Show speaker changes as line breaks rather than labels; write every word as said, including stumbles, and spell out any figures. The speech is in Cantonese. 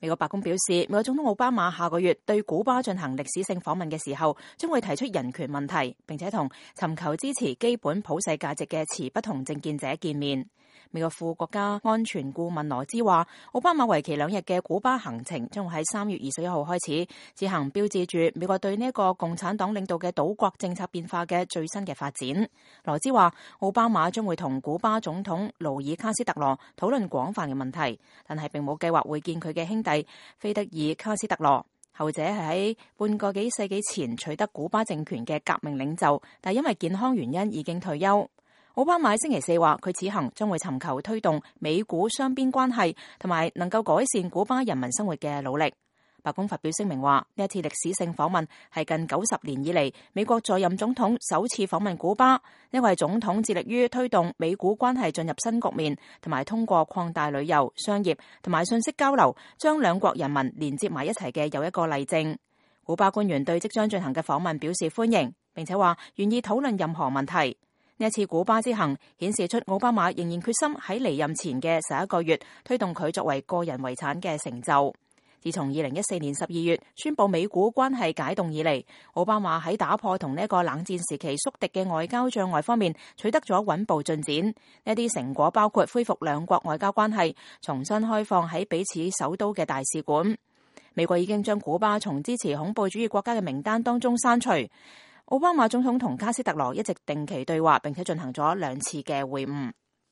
美國白宮表示，美國總統奧巴馬下個月對古巴進行歷史性訪問嘅時候，將會提出人權問題，並且同尋求支持基本普世價值嘅持不同政見者見面。美國副國家安全顧問羅茲話，奧巴馬為期兩日嘅古巴行程將會喺三月二十一號開始，此行標誌住美國對呢一個共產黨領導嘅島國政策變化嘅最新嘅發展。羅茲話，奧巴馬將會同古巴總統勞爾卡斯特羅討論廣泛嘅問題，但係並冇計劃會見佢嘅兄弟菲德爾卡斯特羅。後者係喺半個幾世紀前取得古巴政權嘅革命領袖，但因為健康原因已經退休。奧巴馬星期四話，佢此行將會尋求推動美古雙邊關係同埋能夠改善古巴人民生活嘅努力。白宮發表聲明話，呢一次歷史性訪問係近九十年以嚟美國在任總統首次訪問古巴，因為總統致力於推動美古關係進入新局面，同埋通過擴大旅遊、商業同埋信息交流，將兩國人民連接埋一齊嘅又一個例證。古巴官員對即將進行嘅訪問表示歡迎，並且話願意討論任何問題。呢一次古巴之行顯示出奧巴馬仍然決心喺離任前嘅十一個月推動佢作為個人遺產嘅成就。自從二零一四年十二月宣布美古關係解凍以嚟，奧巴馬喺打破同呢一個冷戰時期宿敵嘅外交障礙方面取得咗穩步進展。呢啲成果包括恢復兩國外交關係，重新開放喺彼此首都嘅大使館。美國已經將古巴從支持恐怖主義國家嘅名單當中刪除。奧巴馬總統同卡斯特羅一直定期對話，並且進行咗兩次嘅會晤。